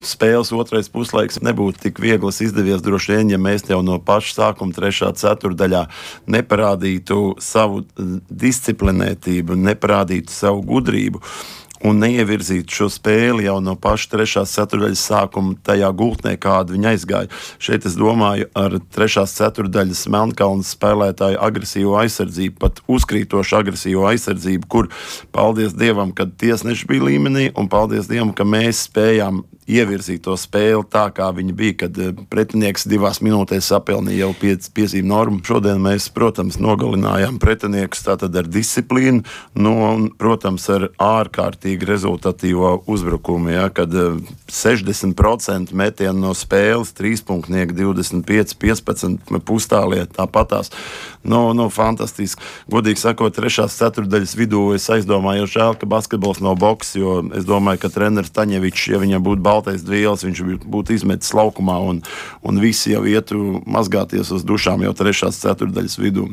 spēles otrais puslaiks nebūtu tik viegls izdevies droši vien, ja mēs jau no paša sākuma 3. ceturdaļā neparādītu savu disciplinētību, neparādītu savu gudrību un neievirzītu šo spēli jau no paša 3. ceturdaļas sākuma tajā gultnē, kāda viņa aizgāja. Šeit es domāju ar 3. ceturdaļas Melnkalnes spēlētāju agresīvo aizsardzību, pat uzkrītošu agresīvo aizsardzību, kur, paldies Dievam, kad tiesneši bija līmenī, un paldies Dievam, ka mēs spējām ievirzīt to spēli tā, kā viņa bija, kad pretinieks 2 minūtēs sapelnīja jau 5 piezīmju normu. Šodien mēs, protams, nogalinājām pretiniekus tātad ar disciplīnu, un, protams, ar ārkārtīgi rezultatīvo uzbrukumu, ja, kad 60% metienu no spēles, 3-punktnieki 25-15 pustālie tāpatās. Fantastiski. Godīgi sakot, 3. ceturdaļas vidū es aizdomāju, žēl, ka basketbols nav boks, jo es domāju, ka treneris Taņevičs, ja viņam būtu baltais dvielas, viņš būtu izmetis laukumā un visi jau ietu mazgāties uz dušām jau 3. ceturdaļas vidū.